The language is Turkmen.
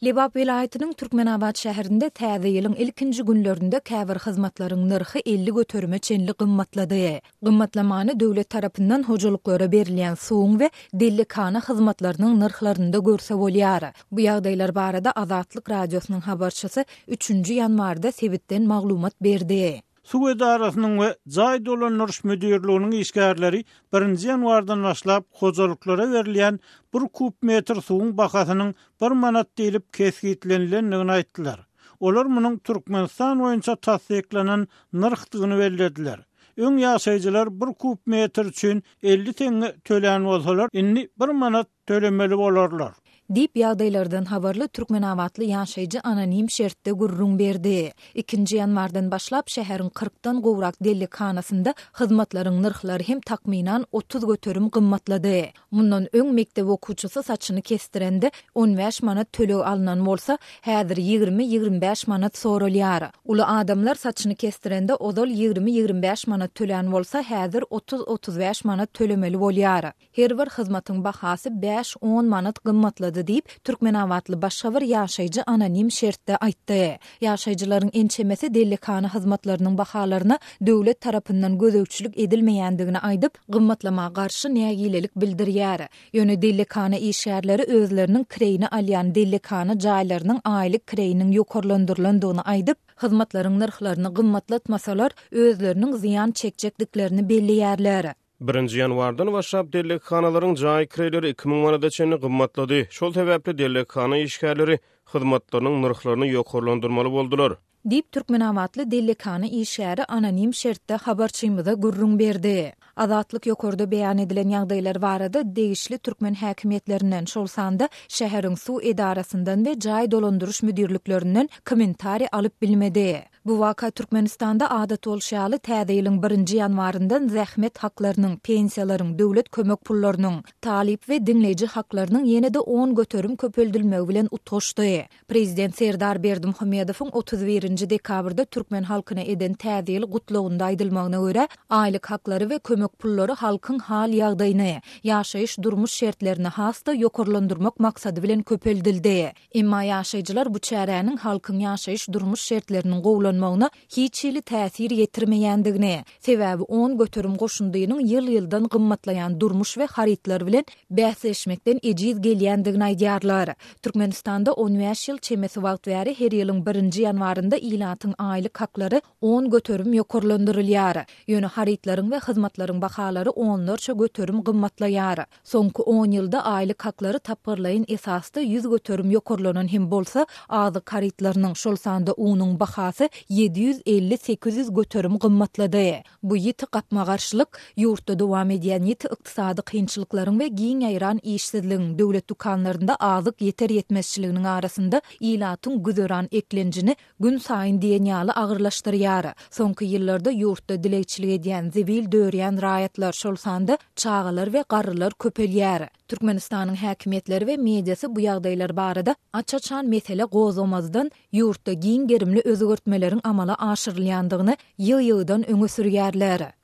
Lebap welaýatynyň Türkmenabat şäherinde täze ýylyň ilkinji günlerinde käbir hyzmatlaryň nyrhy 50 göterime çenli gymmatlady. Gymmatlamany döwlet tarapyndan hojalyklara berilýän suwuň we dellekhana hyzmatlarynyň nyrhlarynda görse bolýar. Bu ýagdaýlar barada Azatlyk Radiosynyň habarçysy üçünji ýanwarda sebitden maglumat berdi. Suw edarasynyň we jaý dolandyryş müdirliginiň işgärleri birinji ýanwardan başlap hojalyklara berilýän bir kub metr suwuň bahasynyň bir manat diýlip kesgitlenilendigini aýtdylar. Olar munuň Türkmenistan boýunça tassyklanan nyrhdygyny bellediler. Öň ýaşaýjylar bir kub metr üçin 50 teňňe tölän bolsalar, indi bir manat tölemeli bolarlar. Diýip, ýagdaýlardan habarly türkmenabatly ýaşaýjy anonim şertde gürrüň berdi. Ikinji ýanwardan başlap şäheriň kyrkdan gowrak dellekhanasynda hyzmatlaryň nyrhlary hem takmynan 30% gymmatlady. Mundan öň mekdep okuwçysy saçyny kesdirende on bäş manat töleg alnan bolsa, häzir ýigrimi-ýigrimi bäş manat soralýar. Uly adamlar saçyny kesdirende ozal ýigrimi-ýigrimi bäş manat tölän bolsa, häzir otuz-otuz bäş manat tölemeli bolýar. Her bir hyzmatyň bahasy bäş-on manat gymmatlady diýip, türkmenabatly başga bir ýaşaýjy anonim şertde aýtdy. Ýaşaýjylaryň ençemesi dellekhana hyzmatlarynyň bahalaryna döwlet tarapyndan gözegçilik edilmeýändigini aýdyp, gymmatlama garşy nägilelik bildirýär. Ýöne dellekhana işgärleri özleriniň kireýine alýan dellekhana jaýlarynyň aýlyk kireýiniň ýokarlandyrylandygyny aýdyp, hyzmatlaryň nyrhlaryny gymmatlatmasalar, özleriniň zyýan çekjekdiklerini belleýärler. Birinji ýanwardan başlap dellekhanalaryň jaý kireýleri 2000 manada çenli gymmatlady. Şol sebäpli dellekhana işgärleri hyzmatlarynyň nyrhlaryny ýokarlandyrmaly boldular. Diýip, türkmenabatly dellekhana işgäri anonim şertde habarçymyza gürrüň berdi. Azatlyk ýokarda beýan edilen ýagdaýlar barada degişli türkmen häkimiýetlerinden, şol sanda şäheriň suw edarasyndan we jaý dolandyryş müdirliklerinden kommentariý alyp bilmedi. Bu waka Türkmenistanda adat bolşy ýaly täze ýylyň birinji ýanwaryndan zähmet haklarynyň, pensiýalaryň, döwlet kömek pullarynyň, talyp we diňleýji haklarynyň ýene-de 10% köpeldilmegi bilen utgaşdy. Prezident Serdar Berdimuhamedowyň 31 nji dekabrda türkmen halkyna eden Täze ýyl gutlagynda aýdylmagyna görä, aýlyk haklary we kömek pullary halkyň hal-ýagdaýyny, ýaşaýyş-durmuş şertlerini has-da ýokarlandyrmak maksady bilen köpeldildi. Emma ýaşaýjylar bu çäräniň halkyň ýaşaýyş-durmuş şertleriniň gowulanmagyna hiç hili täsir ýetirmeýändigini, sebäbi 10% goşundynyň ýyl-ýyldan gymmatlaýan durmuş we harytlar bilen bäsleşmekden ejiz gelýändigini aýdýarlar. Türkmenistanda on bäş ýyl çemesi wagt bäri her ýylyň birinji ýanwarynda ilatyň aýlyk haklary 10% ýokarlandyrylýar. Ýöne harytlaryň we hyzmatlaryň bahalary onlarça göterim gymmatlaýar. Soňky on ýylda aýlyk haklary tapgyrlaýyn esasda 100% ýokarlanan hem bolsa, azyk harytlarynyň, şol sanda unuň bahasy 750-800 göterim gymmatlady. Bu ýiti gapma-garşylyk, ýurtda dowam edýän ýiti ykdysady kynçylyklaryň we giň ýaýran işsizligiň, döwlet dükanlarynda azyk ýeter-ýetmezçiliginiň arasynda ilatyň güzeran eklenjini günsaýyn diýen ýaly agyrlaşdyrýar. Soňky ýyllarda ýurtda dilegçilik edýän, zibil dörýän raýatlar, şol sanda çagalar we garrylar köpelýär. Türkmenistanyň häkimiýetleri we mediasy bu ýagdaýlar barada aç-açan mesele gozgamazdan, ýurtda giň gerimli özgertmeleriň amala aşyrylýandygyny ýygy-ýygydan öňe sürýärler.